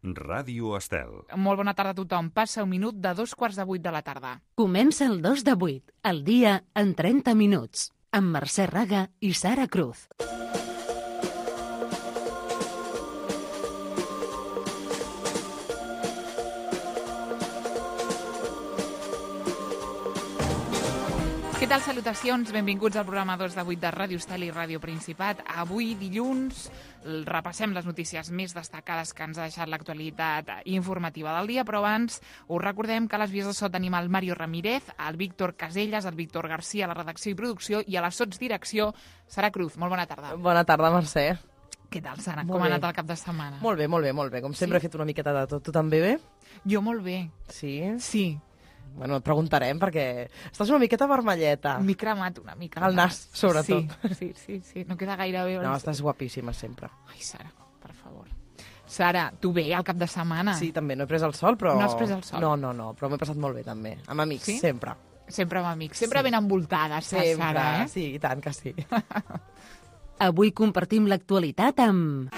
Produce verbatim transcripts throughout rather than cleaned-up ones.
Ràdio Estel. Molt bona tarda a tothom. Passa un minut de dos quarts de vuit de la tarda. Comença el dos de vuit, el dia en trenta minuts, amb Mercè Raga i Sara Cruz. Què tal? Salutacions, benvinguts al programa dos de vuit de Ràdio Estel i Ràdio Principat. Avui, dilluns, repassem les notícies més destacades que ens ha deixat l'actualitat informativa del dia, però abans us recordem que a les vies de so tenim el Mario Ramírez, el Víctor Caselles, el Víctor Garcia a la redacció i producció i a la sotsdirecció Sara Cruz. Molt bona tarda. Bona tarda, Mercè. Què tal, Sara? Molt Com ha bé. anat el cap de setmana? Molt bé, molt bé, molt bé. Com sempre Sí? he fet una miqueta de tot. Tu també bé? Jo molt bé. Sí? Sí, Bueno, et preguntarem perquè estàs una miqueta vermelleta. m'he cremat una mica. El nas, sobretot. Sí, sí, sí, sí. No queda gaire bé. No, estàs guapíssima sempre. Ai, Sara, per favor. Sara, tu bé al cap de setmana? Sí, també. No he pres el sol, però... No has pres el sol? No, no, no, però m'he passat molt bé, també. Amb amics, Sí? sempre. Sempre amb amics. Sempre Sí. ben envoltades, Sempre, Sara, eh? sí, i tant que sí. Avui compartim l'actualitat amb...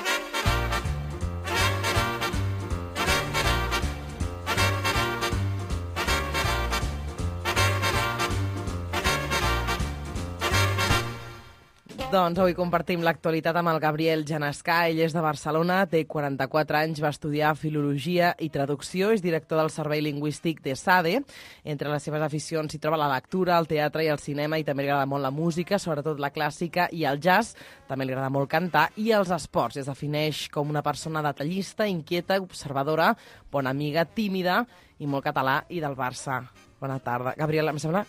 Doncs avui compartim l'actualitat amb el Gabriel Janescà. Ell és de Barcelona, té quaranta-quatre anys, va estudiar Filologia i Traducció, és director del Servei Lingüístic de SADE. Entre les seves aficions s'hi troba la lectura, el teatre i el cinema, i també li agrada molt la música, sobretot la clàssica i el jazz. També li agrada molt cantar i els esports. Es defineix com una persona detallista, inquieta, observadora, bona amiga, tímida i molt català i del Barça. Bona tarda. Gabriel, em sembla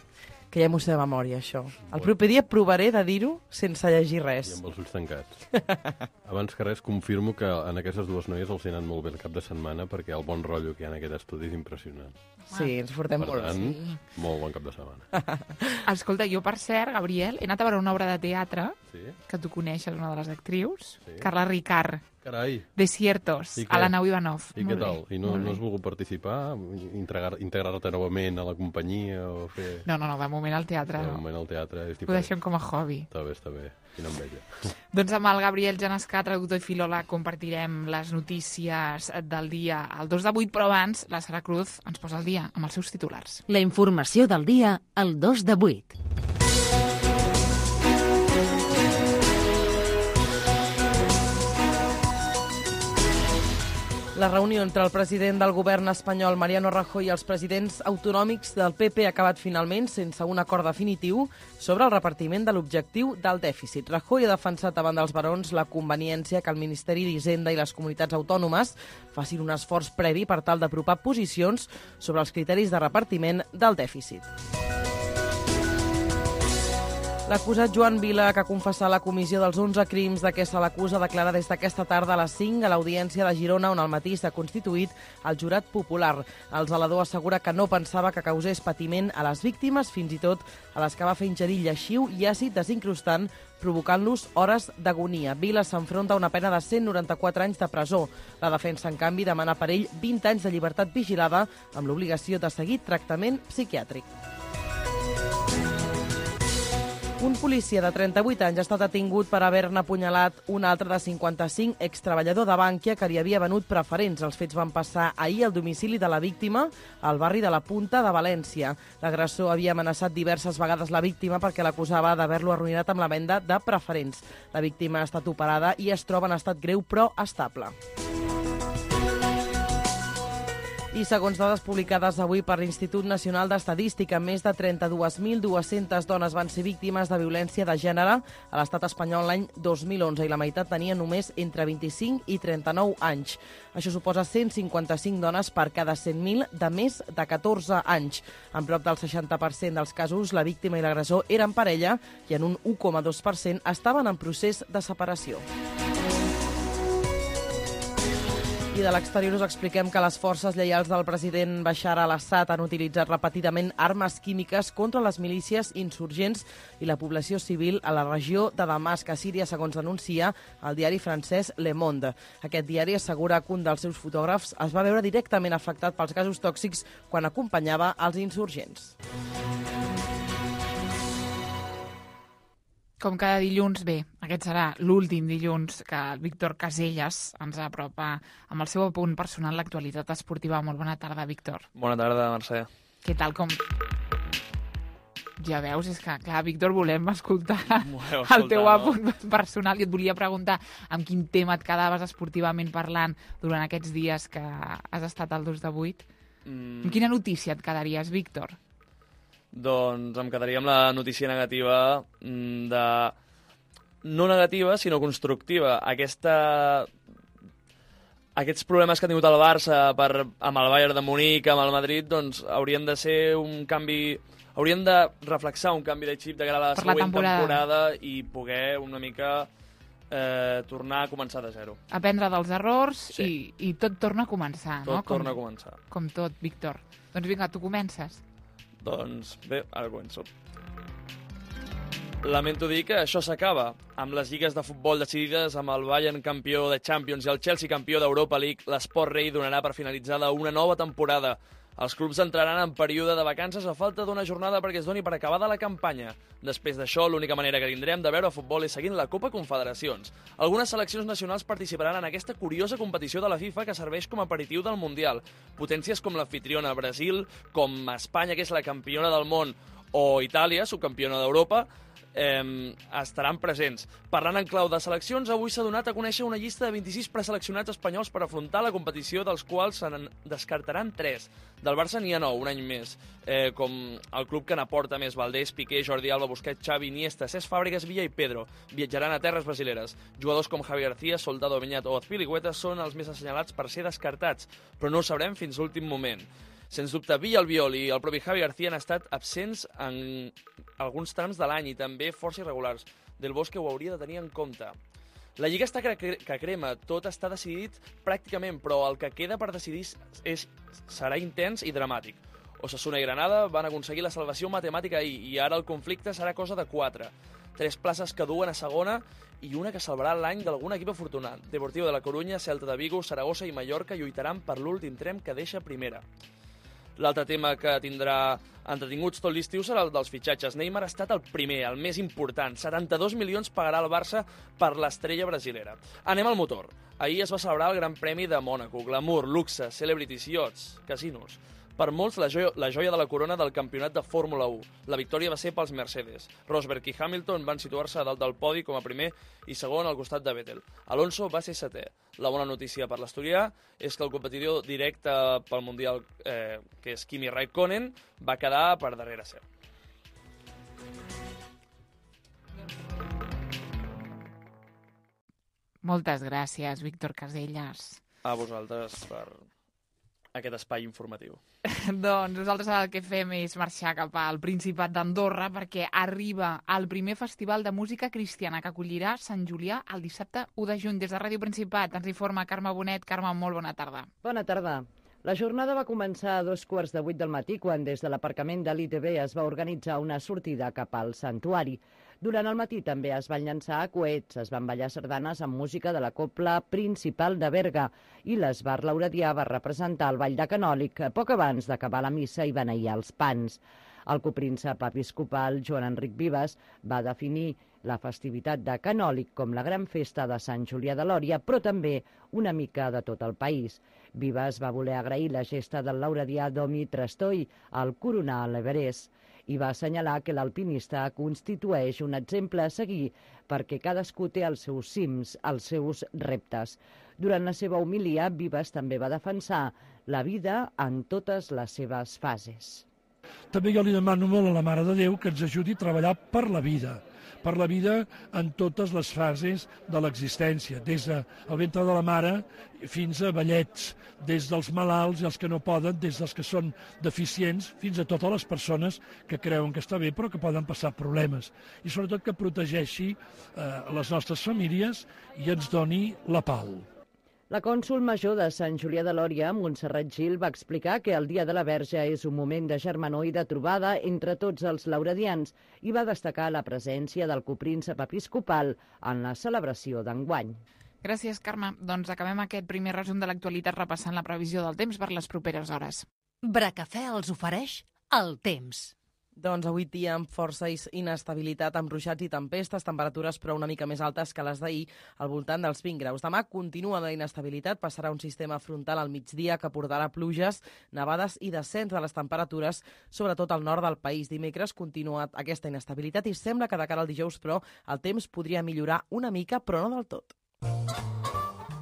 que ja m'ho sé de memòria, això. El proper dia provaré de dir-ho sense llegir I res. amb els ulls tancats. Abans que res, confirmo que en aquestes dues noies els ha anat molt bé el cap de setmana perquè el bon rotllo que hi ha en aquest estudi és impressionant. Sí, ens portem Per molt tant, bé. molt bon cap de setmana. Escolta, jo, per cert, Gabriel, he anat a veure una obra de teatre Sí? que tu coneixes, una de les actrius, Sí. Carla Ricard, Carai! Desiertos, I què? a la Nau Ivanov. I Molt què tal? bé, I no, molt no bé. has volgut participar? Integrar- Integrar-te novament a la companyia o fer... No, no, no, de moment al teatre De no. moment al teatre és Ho diferent. deixem com a hobby. Està bé, està bé. Quina enveja. Doncs amb el Gabriel Janescà, traductor i filòleg, compartirem les notícies del dia al dos de vuit, però abans la Sara Cruz ens posa al dia amb els seus titulars. La informació del dia al dos de vuit. La reunió entre el president del govern espanyol, Mariano Rajoy, i els presidents autonòmics del P P ha acabat finalment sense un acord definitiu sobre el repartiment de l'objectiu del dèficit. Rajoy ha defensat davant dels barons la conveniència que el Ministeri d'Hisenda i les comunitats autònomes facin un esforç previ per tal d'apropar posicions sobre els criteris de repartiment del dèficit. L'acusat Joan Vila, que ha confessat la comissió dels onze crims de què se l'acusa, declara des d'aquesta tarda a les cinc a l'Audiència de Girona, on al matí s'ha constituït el jurat popular. El zelador assegura que no pensava que causés patiment a les víctimes, fins i tot a les que va fer ingerir lleixiu i àcid desincrustant, provocant-los hores d'agonia. Vila s'enfronta a una pena de cent noranta-quatre anys de presó. La defensa, en canvi, demana per ell vint anys de llibertat vigilada amb l'obligació de seguir tractament psiquiàtric. Un policia de trenta-vuit anys ha estat detingut per haver-ne apunyalat un altre de cinquanta-cinc, extreballador de Bànquia, que li havia venut preferents. Els fets van passar ahir al domicili de la víctima, al barri de la Punta de València. L'agressor havia amenaçat diverses vegades la víctima perquè l'acusava d'haver-lo arruïnat amb la venda de preferents. La víctima ha estat operada i es troba en estat greu però estable. I segons dades publicades avui per l'Institut Nacional d'Estadística, més de trenta-dues mil dues-centes dones van ser víctimes de violència de gènere a l'estat espanyol l'any dos mil onze i la meitat tenia només entre vint-i-cinc i trenta-nou anys. Això suposa cent cinquanta-cinc dones per cada cent mil de més de catorze anys. En prop del seixanta per cent dels casos, la víctima i l'agressor eren parella i en un u coma dos per cent estaven en procés de separació. I de l'exterior us expliquem que les forces lleials del president Bashar al-Assad han utilitzat repetidament armes químiques contra les milícies insurgents i la població civil a la regió de Damasc, a Síria, segons denuncia el diari francès Le Monde. Aquest diari assegura que un dels seus fotògrafs es va veure directament afectat pels gasos tòxics quan acompanyava els insurgents. Com cada dilluns, bé, aquest serà l'últim dilluns que el Víctor Casellas ens apropa amb el seu apunt personal l'actualitat esportiva. Molt bona tarda, Víctor. Bona tarda, Mercè. Què tal, com... Ja veus, és que, clar, Víctor, volem escoltar el teu apunt personal i et volia preguntar amb quin tema et quedaves esportivament parlant durant aquests dies que has estat al dos de vuit. Mm. Amb quina notícia et quedaries, Víctor? Doncs em quedaria amb la notícia negativa de... no negativa, sinó constructiva. Aquesta... Aquests problemes que ha tingut el Barça per... amb el Bayern de Munic, amb el Madrid, doncs haurien de ser un canvi... Haurien de reflexar un canvi de xip de cara a la per següent la temporada. temporada i poder una mica eh, tornar a començar de zero. Aprendre dels errors sí. i, i tot torna a començar, tot no? Tot torna com, a començar. Com tot, Víctor. Doncs vinga, tu comences. Doncs bé, ara començo. Lamento dir que això s'acaba. Amb les lligues de futbol decidides, amb el Bayern campió de Champions i el Chelsea campió d'Europa League, l'Esport Rei donarà per finalitzada una nova temporada. Els clubs entraran en període de vacances a falta d'una jornada perquè es doni per acabada la campanya. Després d'això, l'única manera que tindrem de veure futbol és seguint la Copa Confederacions. Algunes seleccions nacionals participaran en aquesta curiosa competició de la FIFA que serveix com a aperitiu del Mundial. Potències com l'anfitriona Brasil, com Espanya, que és la campiona del món, o Itàlia, subcampiona d'Europa, Eh, estaran presents. Parlant en clau de seleccions, avui s'ha donat a conèixer una llista de vint-i-sis preseleccionats espanyols per afrontar la competició, dels quals se n'en descartaran tres. Del Barça n'hi ha nou, un any més, eh, com el club que n'aporta més: Valdés, Piqué, Jordi Alba, Busquets, Xavi, Iniesta, Cesc Fàbregas, Villa i Pedro. Viatjaran a terres brasileres. Jugadors com Javi García, Soldado Beñat o Azpilicueta són els més assenyalats per ser descartats, però no ho sabrem fins l'últim moment. Sens dubte, Villa, Albiol i el propi Javi García han estat absents en alguns trams de l'any i també força irregulars. Del Bosque ho hauria de tenir en compte. La Lliga està que, que crema, tot està decidit pràcticament, però el que queda per decidir és, serà intens i dramàtic. Osasuna i Granada van aconseguir la salvació matemàtica ahir i ara el conflicte serà cosa de quatre. Tres places que duen a segona i una que salvarà l'any d'algun equip afortunat. Deportivo de la Corunya, Celta de Vigo, Saragossa i Mallorca lluitaran per l'últim tren que deixa primera. L'altre tema que tindrà entretinguts tot l'estiu serà el dels fitxatges. Neymar ha estat el primer, el més important. setanta-dos milions pagarà el Barça per l'estrella brasilera. Anem al motor. Ahir es va celebrar el Gran Premi de Mònaco. Glamour, luxe, celebrities, yachts, casinos. Per molts, la joia, la joia de la corona del campionat de Fórmula u. La victòria va ser pels Mercedes. Rosberg i Hamilton van situar-se a dalt del podi com a primer i segon al costat de Vettel. Alonso va ser setè. La bona notícia per l'asturià és que el competidor directe pel Mundial, eh, que és Kimi Raikkonen, va quedar per darrere seu. Moltes gràcies, Víctor Casellas. A vosaltres per aquest espai informatiu. Doncs nosaltres el que fem és marxar cap al Principat d'Andorra perquè arriba el primer festival de música cristiana que acollirà Sant Julià el dissabte u de juny. Des de Ràdio Principat ens informa Carme Bonet. Carme, molt bona tarda. Bona tarda. La jornada va començar a dos quarts de vuit del matí quan des de l'aparcament de l'I T B es va organitzar una sortida cap al santuari. Durant el matí també es van llançar coets, es van ballar sardanes amb música de la Cobla Principal de Berga i l'Esbar Lauredià va representar el ball de Canòlic poc abans d'acabar la missa i beneir els pans. El copríncep episcopal Joan Enric Vives va definir la festivitat de Canòlic com la gran festa de Sant Julià de Lòria, però també una mica de tot el país. Vives va voler agrair la gesta del lauredià Domi Trastoi al coronar l'Everest i va assenyalar que l'alpinista constitueix un exemple a seguir perquè cadascú té els seus cims, els seus reptes. Durant la seva homilia, Vives també va defensar la vida en totes les seves fases. També jo li demano molt a la Mare de Déu que ens ajudi a treballar per la vida, per la vida en totes les fases de l'existència, des del ventre de la mare fins a vellets, des dels malalts i els que no poden, des dels que són deficients, fins a totes les persones que creuen que està bé però que poden passar problemes. I sobretot que protegeixi eh, les nostres famílies i ens doni la pau. La cònsol major de Sant Julià de Lòria, Montserrat Gil, va explicar que el Dia de la Verge és un moment de germanor i de trobada entre tots els lauredians i va destacar la presència del copríncep episcopal en la celebració d'enguany. Gràcies, Carme. Doncs acabem aquest primer resum de l'actualitat repassant la previsió del temps per les properes hores. Bracafè els ofereix el temps. Doncs avui dia amb força inestabilitat, amb ruixats i tempestes, temperatures però una mica més altes que les d'ahir, al voltant dels vint graus. Demà continua la inestabilitat, passarà un sistema frontal al migdia que portarà pluges, nevades i descens de les temperatures, sobretot al nord del país. Dimecres continua aquesta inestabilitat i sembla que de cara al dijous, però, el temps podria millorar una mica, però no del tot.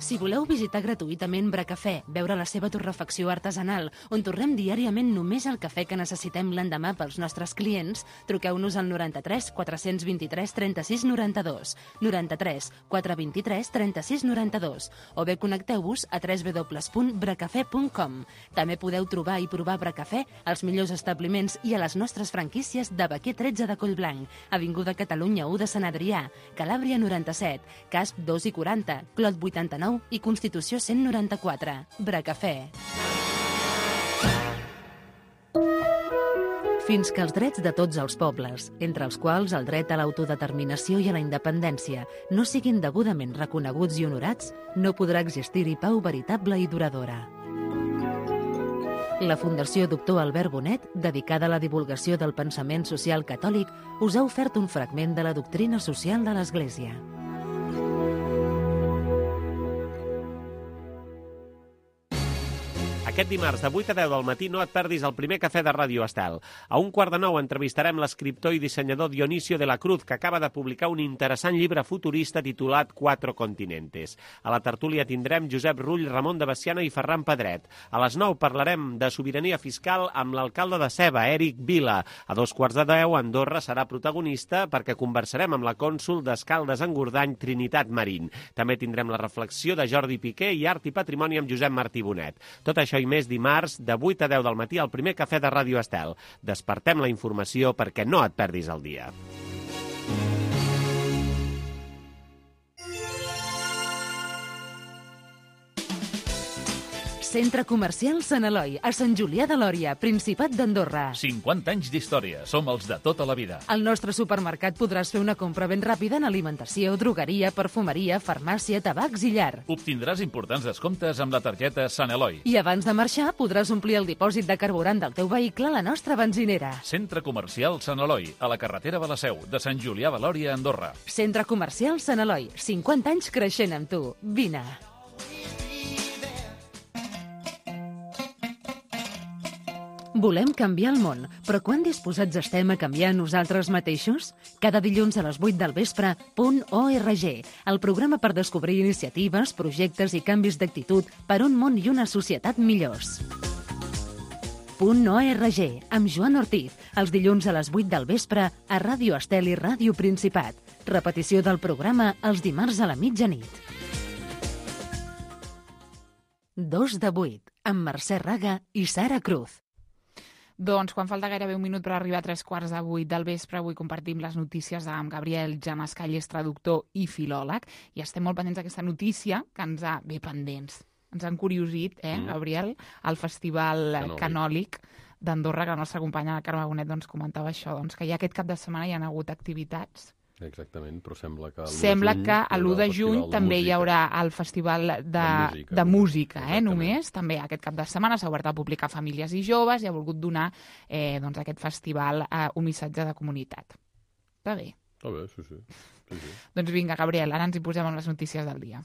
Si voleu visitar gratuïtament Bracafè, veure la seva torrefacció artesanal, on torrem diàriament només el cafè que necessitem l'endemà pels nostres clients, truqueu-nos al noranta-tres quatre-cents vint-i-tres trenta-sis noranta-dos, noranta-tres quatre vint-i-tres trenta-sis noranta-dos, o bé connecteu-vos a w w w punt bracafè punt com. També podeu trobar i provar Bracafè als millors establiments i a les nostres franquícies de Baquer tretze de Collblanc, Avinguda Catalunya u de Sant Adrià, Calàbria noranta-set, Casp dos i quaranta, Clot vuitanta-nou i Constitució cent noranta-quatre. Bracafè. Fins que els drets de tots els pobles, entre els quals el dret a l'autodeterminació i a la independència, no siguin degudament reconeguts i honorats, no podrà existir-hi pau veritable i duradora. La Fundació Doctor Albert Bonet, dedicada a la divulgació del pensament social catòlic, us ha ofert un fragment de la doctrina social de l'Església. Aquest dimarts de vuit a deu del matí no et perdis el primer cafè de Ràdio Estel. A un quart de nou entrevistarem l'escriptor i dissenyador Dionisio de la Cruz, que acaba de publicar un interessant llibre futurista titulat Cuatro Continentes. A la tertúlia tindrem Josep Rull, Ramon de Bessiana i Ferran Pedret. A les nou parlarem de sobirania fiscal amb l'alcalde de Seva, Eric Vila. A dos quarts de deu, Andorra serà protagonista perquè conversarem amb la cònsol d'Escaldes-Engordany, Trinitat Marín. També tindrem la reflexió de Jordi Piqué i Art i Patrimoni amb Josep Martí Bonet. Tot això i més dimarts de vuit a deu del matí al primer cafè de Ràdio Estel. Despertem la informació perquè no et perdis el dia. Centre Comercial Sant Eloi, a Sant Julià de Lòria, Principat d'Andorra. cinquanta anys d'història. Som els de tota la vida. Al nostre supermercat podràs fer una compra ben ràpida en alimentació, drogueria, perfumeria, farmàcia, tabacs i llar. Obtindràs importants descomptes amb la targeta Sant Eloi. I abans de marxar podràs omplir el dipòsit de carburant del teu vehicle a la nostra benzinera. Centre Comercial Sant Eloi, a la carretera de la Seu, de Sant Julià de Lòria, Andorra. Centre Comercial Sant Eloi, cinquanta anys creixent amb tu. Vine. Volem canviar el món, però quan disposats estem a canviar nosaltres mateixos? Cada dilluns a les vuit del vespre, Punt org, el programa per descobrir iniciatives, projectes i canvis d'actitud per un món i una societat millors. Punt org, amb Joan Ortiz, els dilluns a les vuit del vespre a Ràdio Estel i Ràdio Principat. Repetició del programa els dimarts a la mitjanit. Dos de vuit, amb Mercè Raga i Sara Cruz. Doncs quan falta gairebé un minut per arribar a tres quarts de vuit del vespre, avui compartim les notícies amb Gabriel Jamascall, és traductor i filòleg, i estem molt pendents d'aquesta notícia que ens ha... bé, pendents. Ens han curiosit, eh, mm. Gabriel, el Festival Canòlic, Canòlic d'Andorra, que la nostra companya Carme Bonet doncs, comentava això, doncs, que ja aquest cap de setmana hi ha hagut activitats. Exactament, però sembla que Sembla que a l'u de juny també hi haurà el Festival de, de música, de música eh, només. També aquest cap de setmana s'ha obert a publicar Famílies i Joves i ha volgut donar eh, doncs, aquest festival eh, un missatge de comunitat. Està bé? Està bé, sí, sí. sí, sí. Doncs vinga, Gabriel, ara ens hi posem amb les notícies del dia.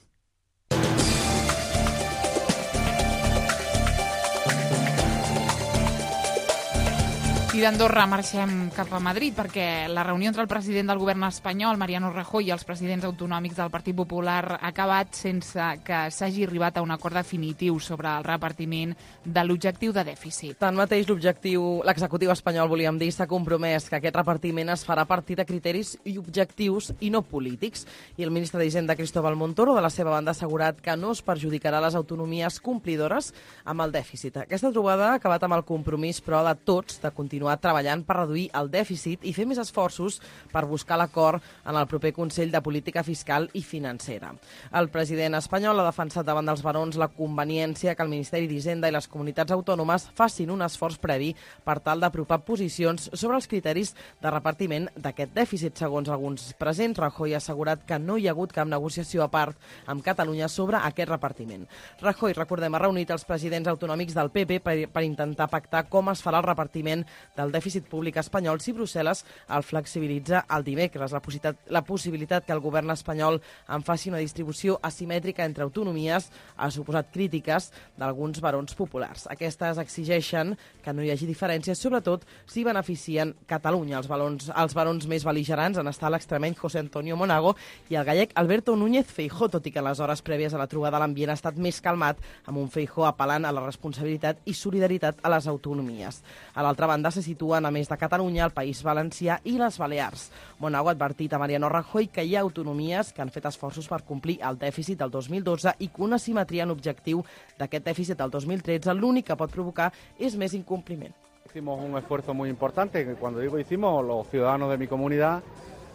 I d'Andorra marxem cap a Madrid perquè la reunió entre el president del govern espanyol, Mariano Rajoy, i els presidents autonòmics del Partit Popular ha acabat sense que s'hagi arribat a un acord definitiu sobre el repartiment de l'objectiu de dèficit. Tanmateix, l'objectiu, l'executiu espanyol, volíem dir, s'ha compromès que aquest repartiment es farà a partir de criteris i objectius i no polítics. I el ministre d'Hisenda, Cristóbal Montoro, de la seva banda, ha assegurat que no es perjudicarà les autonomies complidores amb el dèficit. Aquesta trobada ha acabat amb el compromís, però, de tots, de continuar treballant per reduir el dèficit i fer més esforços per buscar l'acord en el proper Consell de Política Fiscal i Financera. El president espanyol ha defensat davant dels barons la conveniència que el Ministeri d'Hisenda i les comunitats autònomes facin un esforç previ per tal d'apropar posicions sobre els criteris de repartiment d'aquest dèficit. Segons alguns presents, Rajoy ha assegurat que no hi ha hagut cap negociació a part amb Catalunya sobre aquest repartiment. Rajoy, recordem, ha reunit els presidents autonòmics del P P per, per intentar pactar com es farà el repartiment del dèficit públic espanyol si Brussel·les el flexibilitza el dimecres. La possibilitat, la possibilitat que el govern espanyol en faci una distribució asimètrica entre autonomies ha suposat crítiques d'alguns barons populars. Aquestes exigeixen que no hi hagi diferències, sobretot si beneficien Catalunya. Els, balons, els barons més bel·ligerants han estat l'extremeny José Antonio Monago i el gallec Alberto Núñez Feijóo, tot i que en les hores prèvies a la trobada l'ambient ha estat més calmat, amb un Feijóo apel·lant a la responsabilitat i solidaritat a les autonomies. A l'altra banda se situen, a més de Catalunya, el País Valencià i les Balears. Monago ha advertit a Mariano Rajoy que hi ha autonomies que han fet esforços per complir el dèficit del dos mil dotze i que una simetria en objectiu d'aquest dèficit del dos mil tretze l'únic que pot provocar és més incompliment. Hicimos un esfuerzo muy importante, que cuando digo hicimos, los ciudadanos de mi comunidad,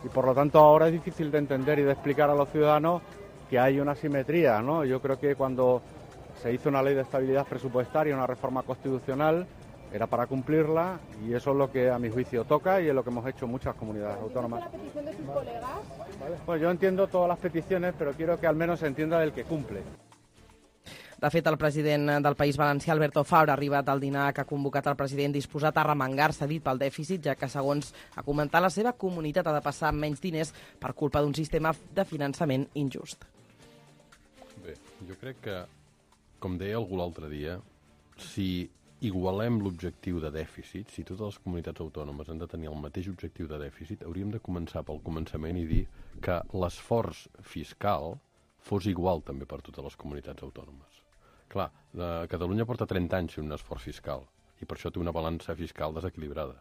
y por lo tanto ahora es difícil de entender y de explicar a los ciudadanos que hay una simetría, ¿no? Yo creo que cuando se hizo una ley de estabilidad presupuestaria, una reforma constitucional, era para cumplirla y eso es lo que a mi juicio toca y es lo que hemos hecho muchas comunidades autónomas. ¿La petición de sus colegas? Pues yo entiendo todas las peticiones, pero quiero que al menos se entienda del que cumple. De fet, el president del País Valencià, Alberto Fabra, ha arribat al dinar que ha convocat el president disposat a remengar-se, dit pel dèficit, ja que, segons ha comentat, la seva comunitat ha de passar amb menys diners per culpa d'un sistema de finançament injust. Bé, jo crec que, com deia algú l'altre dia, si igualem l'objectiu de dèficit, si totes les comunitats autònomes han de tenir el mateix objectiu de dèficit, hauríem de començar pel començament i dir que l'esforç fiscal fos igual també per totes les comunitats autònomes. Clar, Catalunya porta trenta anys fent un esforç fiscal i per això té una balança fiscal desequilibrada.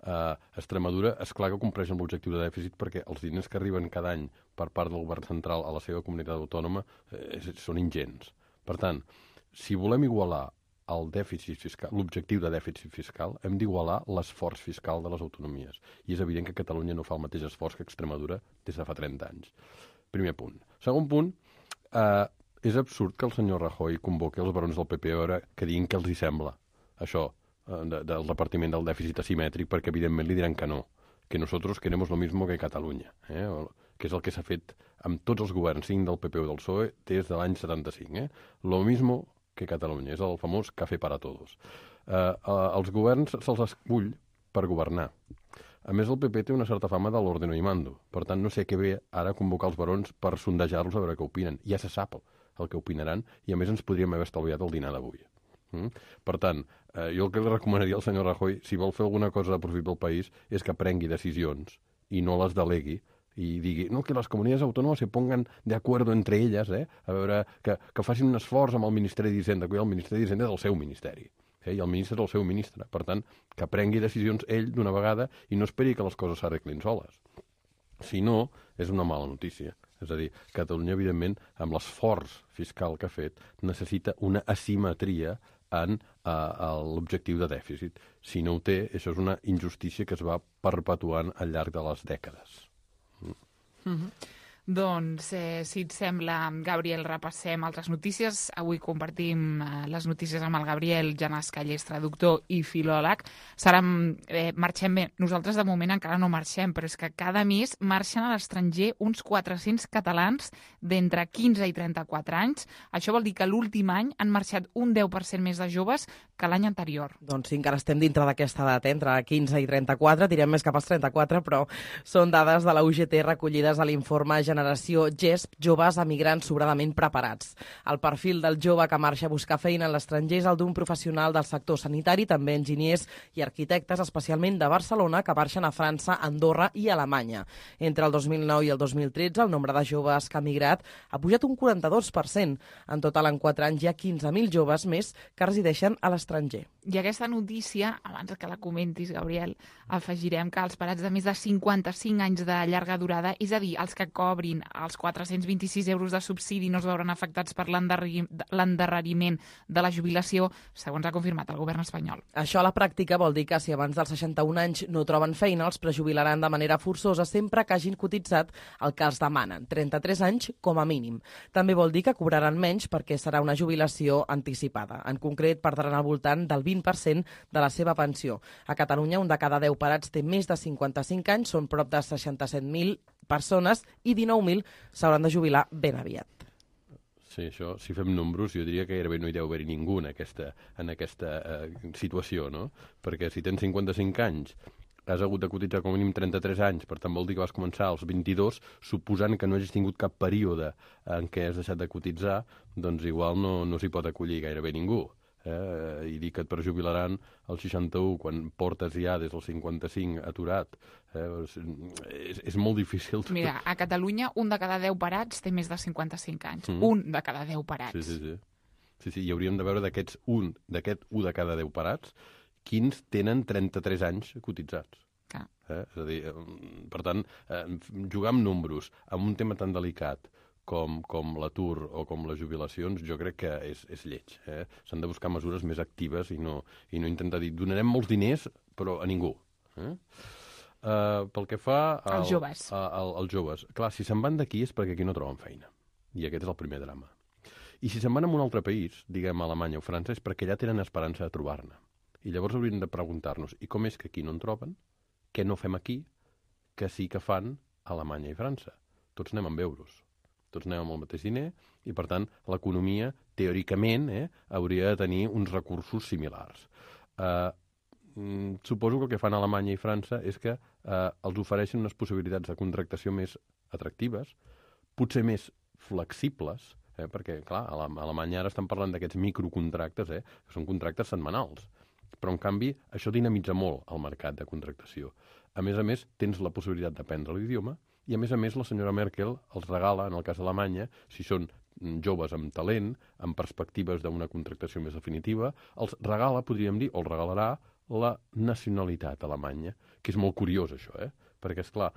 Uh, Extremadura, és clar que compleix amb l'objectiu de dèficit perquè els diners que arriben cada any per part del govern central a la seva comunitat autònoma eh, són ingents. Per tant, si volem igualar el dèficit fiscal, l'objectiu de dèficit fiscal, hem d'igualar l'esforç fiscal de les autonomies. I és evident que Catalunya no fa el mateix esforç que Extremadura des de fa trenta anys. Primer punt. Segon punt, eh, és absurd que el senyor Rajoy convoqui els barons del P P ara que diguin que els hi sembla això eh, de, del repartiment del dèficit asimètric, perquè evidentment li diran que no, que nosotros queremos lo mismo que Catalunya, eh? que és el que s'ha fet amb tots els governs, cinc del P P o del P S O E, des de l'any setanta-cinc. Eh? Lo mismo que Catalunya, és el famós café para todos. Eh, eh, els governs se'ls escull per governar. A més, el P P té una certa fama de l'ordeno i mando. Per tant, no sé què ve ara convocar els barons per sondejar-los a veure què opinen. Ja se sap el que opinaran i, a més, ens podríem haver estalviat el dinar d'avui. Mm? Per tant, eh, jo el que li recomanaria al senyor Rajoy, si vol fer alguna cosa de profit pel país, és que prengui decisions i no les delegui i digui, no, que les comunitats autònomes se pongan de acuerdo entre elles, eh? A veure, que, que facin un esforç amb el Ministeri d'Hisenda, que el Ministeri d'Hisenda és el seu ministeri. Eh? I el ministre és el seu ministre. Per tant, que prengui decisions ell d'una vegada i no esperi que les coses s'arreglin soles. Si no, és una mala notícia. És a dir, Catalunya, evidentment, amb l'esforç fiscal que ha fet, necessita una asimetria en uh, l'objectiu de dèficit. Si no ho té, això és una injustícia que es va perpetuant al llarg de les dècades. Mm. Mm-hmm. Doncs, eh, si et sembla, Gabriel, repassem altres notícies. Avui compartim eh, les notícies amb el Gabriel Janasca, ell és traductor i filòleg. Serà, eh, marxem bé. Nosaltres, de moment, encara no marxem, però és que cada mes marxen a l'estranger uns quatre-cents catalans d'entre quinze i trenta-quatre anys. Això vol dir que l'últim any han marxat un deu per cent més de joves que l'any anterior. Doncs sí, encara estem dintre d'aquesta edat, eh? Entre quinze i trenta-quatre, tirem més cap als trenta-quatre, però són dades de la U G T recollides a l'informe Generació G E S P, joves emigrants sobradament preparats. El perfil del jove que marxa a buscar feina a l'estranger és el d'un professional del sector sanitari, també enginyers i arquitectes, especialment de Barcelona, que marxen a França, Andorra i Alemanya. Entre el dos mil nou i el dos mil tretze, el nombre de joves que ha migrat ha pujat un quaranta-dos per cent. En total, en quatre anys, hi ha quinze mil joves més que resideixen a l'estranger. I aquesta notícia, abans que la comentis, Gabriel, afegirem que els parats de més de cinquanta-cinc anys de llarga durada, és a dir, els que cobrin els quatre-cents vint-i-sis euros de subsidi no es veuran afectats per l'endarreriment de la jubilació, segons ha confirmat el govern espanyol. Això a la pràctica vol dir que si abans dels seixanta-un anys no troben feina, els prejubilaran de manera forçosa sempre que hagin cotitzat el que els demanen, trenta-tres anys com a mínim. També vol dir que cobraran menys perquè serà una jubilació anticipada. En concret, perdran al voltant del vint per cent de la seva pensió. A Catalunya, un de cada deu parats té més de cinquanta-cinc anys, són prop de seixanta-set mil persones i dinou mil s'hauran de jubilar ben aviat. Sí, això, si fem números, jo diria que gairebé no hi deu haver-hi ningú en aquesta, en aquesta eh, situació, no? Perquè si tens cinquanta-cinc anys, has hagut de cotitzar com a mínim trenta-tres anys, per tant vol dir que vas començar als vint-i-dos, suposant que no hagis tingut cap període en què has deixat de cotitzar, doncs igual no, no s'hi pot acollir gairebé ningú. Eh, i dir que et perjubilaran als seixanta-u quan portes ja des dels cinquanta-cinc aturat, eh, és, és molt difícil. Mira, a Catalunya un de cada deu parats té més de cinquanta-cinc anys. Mm. Un de cada deu parats. Sí, sí, sí. sí, sí i hauríem de veure d'aquests un, d'aquest un de cada deu parats, quins tenen trenta-tres anys cotitzats. Clar. Eh? És a dir, per tant, eh, jugar amb números, amb un tema tan delicat com, com l'atur o com les jubilacions, jo crec que és, és lleig. Eh? S'han de buscar mesures més actives i no, i no intentar dir donarem molts diners, però a ningú. Eh? Uh, pel que fa al, als joves. A, a, als joves. Clar, si se'n van d'aquí és perquè aquí no troben feina. I aquest és el primer drama. I si se'n van a un altre país, diguem Alemanya o França, és perquè allà tenen esperança de trobar-ne. I llavors hauríem de preguntar-nos, i com és que aquí no en troben? Què no fem aquí que sí que fan a Alemanya i França? Tots anem amb euros. Tots anem amb el mateix diner i, per tant, l'economia, teòricament, eh, hauria de tenir uns recursos similars. Eh, mm, suposo que el que fan a Alemanya i França és que eh, els ofereixen unes possibilitats de contractació més atractives, potser més flexibles, eh, perquè, clar, a Alemanya ara estan parlant d'aquests microcontractes, eh, que són contractes setmanals. Però, en canvi, això dinamitza molt el mercat de contractació. A més a més, tens la possibilitat d'aprendre l'idioma i, a més a més, la senyora Merkel els regala, en el cas d'Alemanya, si són joves amb talent, amb perspectives d'una contractació més definitiva, els regala, podríem dir, o els regalarà la nacionalitat alemanya, que és molt curiós, això, eh? Perquè, esclar,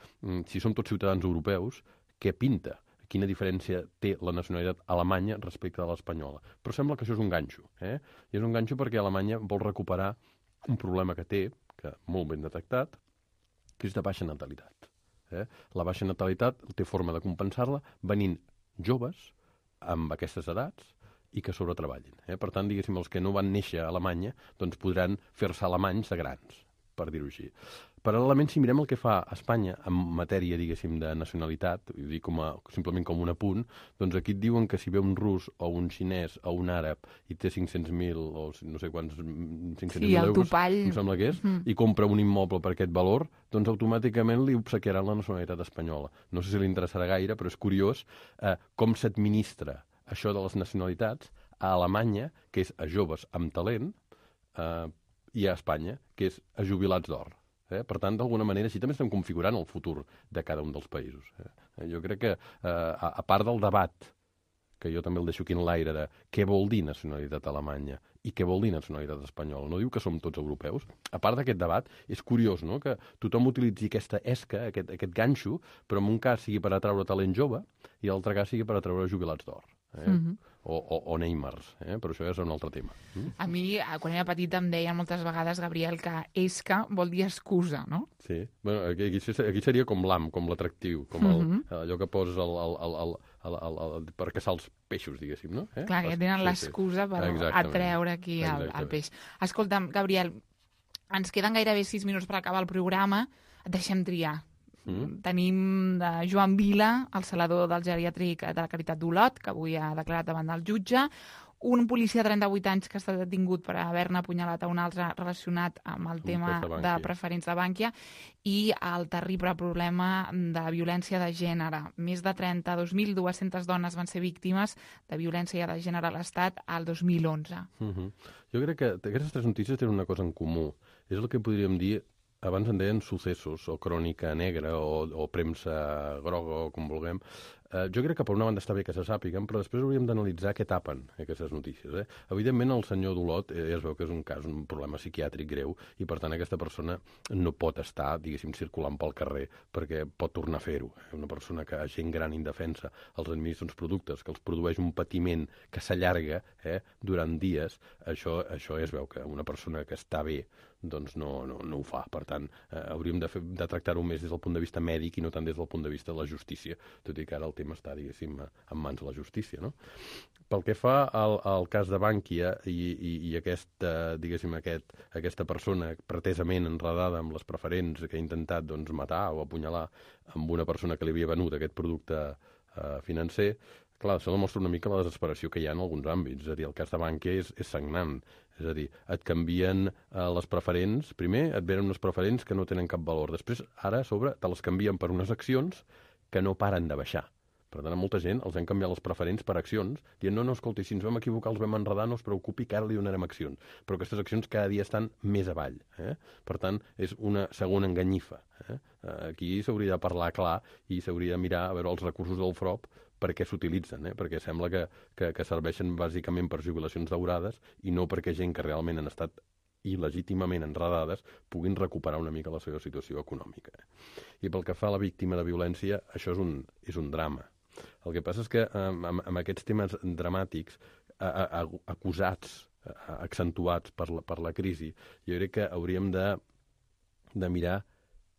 si som tots ciutadans europeus, què pinta? Quina diferència té la nacionalitat alemanya respecte a l'espanyola. Però sembla que això és un ganxo. Eh? I és un ganxo perquè Alemanya vol recuperar un problema que té, que molt ben detectat, que és de baixa natalitat. Eh? La baixa natalitat té forma de compensar-la venint joves amb aquestes edats i que sobretreballin. Eh? Per tant, diguéssim, els que no van néixer a Alemanya doncs podran fer-se alemanys de grans, per dir-ho així. Paral·lelament, si mirem el que fa Espanya en matèria, diguéssim, de nacionalitat, vull dir, com a, simplement com un apunt, doncs aquí et diuen que si ve un rus o un xinès o un àrab i té cinc-cents mil o no sé quants, cinc-cents mil sí, euros, topall. em sembla que és, mm. i compra un immoble per aquest valor, doncs automàticament li obsequiaran la nacionalitat espanyola. No sé si li interessarà gaire, però és curiós eh, com s'administra això de les nacionalitats a Alemanya, que és a joves amb talent, eh, i a Espanya, que és a jubilats d'or. Eh? Per tant, d'alguna manera, així també estem configurant el futur de cada un dels països. Eh? Jo crec que, eh, a, a part del debat, que jo també el deixo aquí en l'aire, de què vol dir nacionalitat alemanya i què vol dir nacionalitat espanyola, no diu que som tots europeus. A part d'aquest debat, és curiós, no?, que tothom utilitzi aquesta esca, aquest, aquest ganxo, però en un cas sigui per atraure talent jove i en l'altre cas sigui per atraure jubilats d'or. Eh? Mm-hmm. O, o, o Neymars, eh? Però això ja és un altre tema. Mm? A mi, quan era petita, em deien moltes vegades, Gabriel, que esca vol dir excusa, no? Sí. Bueno, aquí, aquí seria com l'am, com l'atractiu, com el, mm-hmm. allò que poses el, el, el, el, el, el, el, per caçar els peixos, diguéssim, no? Eh? Clar, que tenen sí, l'excusa sí. per Exactament. atreure aquí el, el peix. Escolta'm, Gabriel, ens queden gairebé sis minuts per acabar el programa. Et deixem triar. Mm. Tenim de Joan Vila, el salador del geriàtric de la Caritat d'Olot, que avui ha declarat davant del jutge, un policia de trenta-vuit anys que ha estat detingut per haver-ne apunyalat a un altre relacionat amb el tema de, de preferents de Bànquia, i el terrible problema de la violència de gènere. Més de trenta-dos mil dues-centes dones van ser víctimes de violència de gènere a l'Estat al dos mil onze. Mm-hmm. Jo crec que aquestes tres notícies tenen una cosa en comú. És el que podríem dir, abans en deien successos, o crònica negra, o, o premsa groga, o com vulguem. Eh, jo crec que per una banda està bé que se sàpiguen, però després hauríem d'analitzar què tapen aquestes notícies. Eh? Evidentment, el senyor d'Olot eh, es veu que és un cas, un problema psiquiàtric greu, i per tant aquesta persona no pot estar, diguéssim, circulant pel carrer, perquè pot tornar a fer-ho. Eh? Una persona que, gent gran indefensa, els administra uns productes, que els produeix un patiment que s'allarga eh, durant dies, això, això es veu que una persona que està bé doncs no, no, no ho fa. Per tant, eh, hauríem de, fer, de tractar-ho més des del punt de vista mèdic i no tant des del punt de vista de la justícia, tot i que ara el tema està, diguéssim, en mans de la justícia, no? Pel que fa al, al cas de Bànquia i, i, i aquesta, diguéssim, aquest, aquesta persona pretesament enredada amb les preferents que ha intentat doncs, matar o apunyalar amb una persona que li havia venut aquest producte eh, financer, Clar, això demostra una mica la desesperació que hi ha en alguns àmbits. És a dir, el cas de Bankia és, és sagnant. És a dir, et canvien eh, les preferents. Primer et venen unes preferents que no tenen cap valor. Després, ara, a sobre, te les canvien per unes accions que no paren de baixar. Per tant, a molta gent els han canviat les preferents per accions, dient, no, no, escolti, si ens vam equivocar, els vam enredar, no es preocupi, que ara li donarem accions. Però aquestes accions cada dia estan més avall. Eh? Per tant, és una segona enganyifa. Eh? Aquí s'hauria de parlar clar i s'hauria de mirar a veure els recursos del F R O P per què s'utilitzen, eh? Perquè sembla que, que, que serveixen bàsicament per jubilacions daurades i no perquè gent que realment han estat il·legítimament enredades puguin recuperar una mica la seva situació econòmica. I pel que fa a la víctima de violència, això és un, és un drama. El que passa és que amb, amb aquests temes dramàtics, a, a, acusats, a, accentuats per la, per la crisi, jo crec que hauríem de, de mirar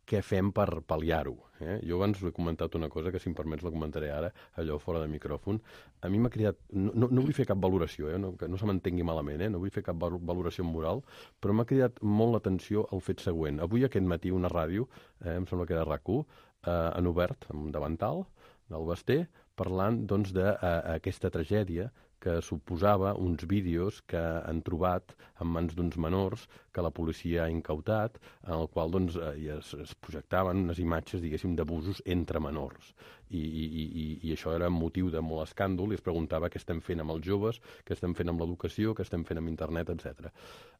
què fem per pal·liar-ho. Eh? Jo abans he comentat una cosa que, si em permets, la comentaré ara, allò fora de micròfon. A mi m'ha cridat... No, no, no vull fer cap valoració, eh? no, que no se m'entengui malament, eh? No vull fer cap valoració moral, però m'ha cridat molt l'atenció el fet següent. Avui, aquest matí, una ràdio, eh, em sembla que era RAC u, eh, en obert, amb davantal, del Basté, parlant doncs, d'aquesta tragèdia que suposava uns vídeos que han trobat en mans d'uns menors que la policia ha incautat, en el qual doncs, es, es projectaven unes imatges, diguéssim, d'abusos entre menors. I, i, i, I això era motiu de molt escàndol i es preguntava què estem fent amb els joves, què estem fent amb l'educació, què estem fent amb internet, etcètera.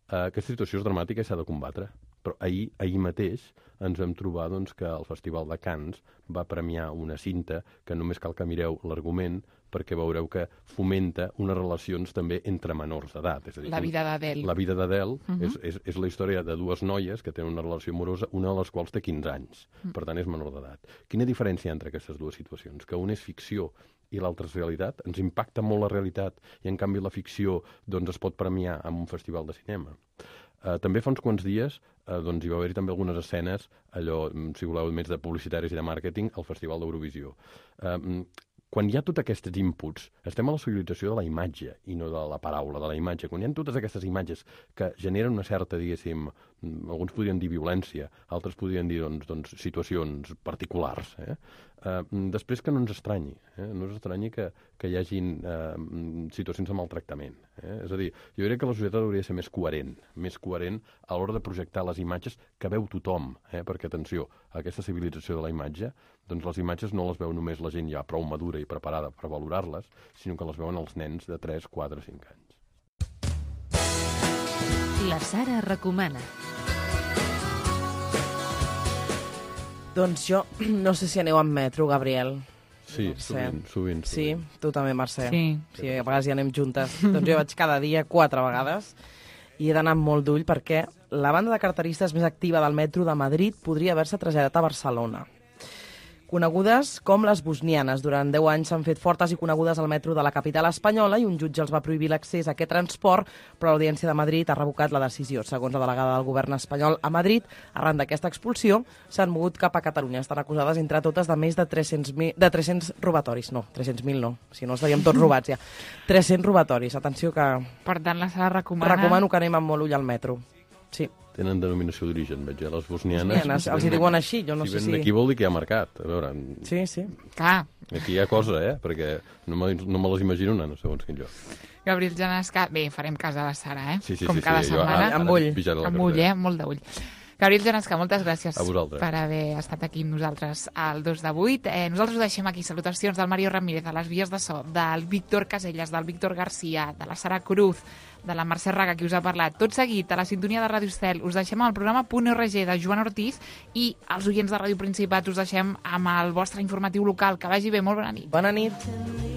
Uh, aquesta situació és dramàtica i s'ha de combatre. Però ahir, ahir mateix ens vam trobar doncs, que el Festival de Cannes va premiar una cinta que només cal que mireu l'argument perquè veureu que fomenta unes relacions també entre menors d'edat. És a dir, la vida d'Adele. La vida d'Adele uh -huh. és, és, és la història de dues noies que tenen una relació amorosa, una de les quals té quinze anys, uh -huh. per tant és menor d'edat. Quina diferència entre aquestes dues situacions? Que una és ficció i l'altra és realitat. Ens impacta molt la realitat i, en canvi, la ficció doncs, es pot premiar en un festival de cinema. Uh, també fa uns quants dies uh, doncs, hi va haver-hi també algunes escenes, allò, si voleu, més de publicitaris i de màrqueting, al Festival d'Eurovisió. Uh, Quan hi ha tots aquests inputs, estem a la civilització de la imatge i no de la paraula, de la imatge. Quan hi ha totes aquestes imatges que generen una certa, diguéssim, alguns podrien dir violència, altres podrien dir doncs, doncs, situacions particulars. Eh? Uh, després que no ens estranyi, eh? no ens estranyi que, que hi hagin uh, situacions de maltractament. Eh? És a dir, jo crec que la societat hauria de ser més coherent, més coherent a l'hora de projectar les imatges que veu tothom, eh? Perquè, atenció, aquesta civilització de la imatge, doncs les imatges no les veu només la gent ja prou madura i preparada per valorar-les, sinó que les veuen els nens de tres, quatre, cinc anys. La Sara recomana. Doncs jo no sé si aneu amb metro, Gabriel. Sí, sovint, sovint, sovint. Sí? Tu també, Mercè? Sí. Sí, a vegades hi anem juntes. Doncs jo vaig cada dia quatre vegades i he d'anar amb molt d'ull perquè la banda de carteristes més activa del metro de Madrid podria haver-se traslladat a Barcelona. Conegudes com les bosnianes. Durant deu anys s'han fet fortes i conegudes al metro de la capital espanyola i un jutge els va prohibir l'accés a aquest transport, però l'Audiència de Madrid ha revocat la decisió. Segons la delegada del govern espanyol a Madrid, arran d'aquesta expulsió, s'han mogut cap a Catalunya. Estan acusades entre totes de més de tres-cents mil, de tres-cents robatoris. No, tres-cents mil no, si no estaríem tots robats ja. tres-cents robatoris. Atenció que... Per tant, la Sara recomana... Recomano que anem amb molt ull al metro. Sí. Tenen denominació d'origen, veig, eh? Les bosnianes... bosnianes els hi diuen així, jo no si sé si... Si ven d'aquí vol dir que hi ha mercat, a veure... Sí, sí. Clar. Aquí hi ha cosa, eh? Perquè no me, no me les imagino anant, segons quin lloc. Gabriel Janesca... Bé, farem cas a la Sara, eh? Sí, sí, Com sí, cada sí. setmana. Jo, amb ull. Amb ull, eh? Molt d'ull. Gabriel Janesca, moltes gràcies per haver estat aquí amb nosaltres al dos de vuit. Eh, nosaltres ho deixem aquí. Salutacions del Mario Ramírez, de les vies de so, del Víctor Caselles, del Víctor Garcia, de la Sara Cruz, de la Mercè Raga, qui us ha parlat. Tot seguit, a la sintonia de Ràdio Estel, us deixem al programa Punt R G de Joan Ortiz i els oients de Ràdio Principat us deixem amb el vostre informatiu local. Que vagi bé, molt bona nit. Bona nit.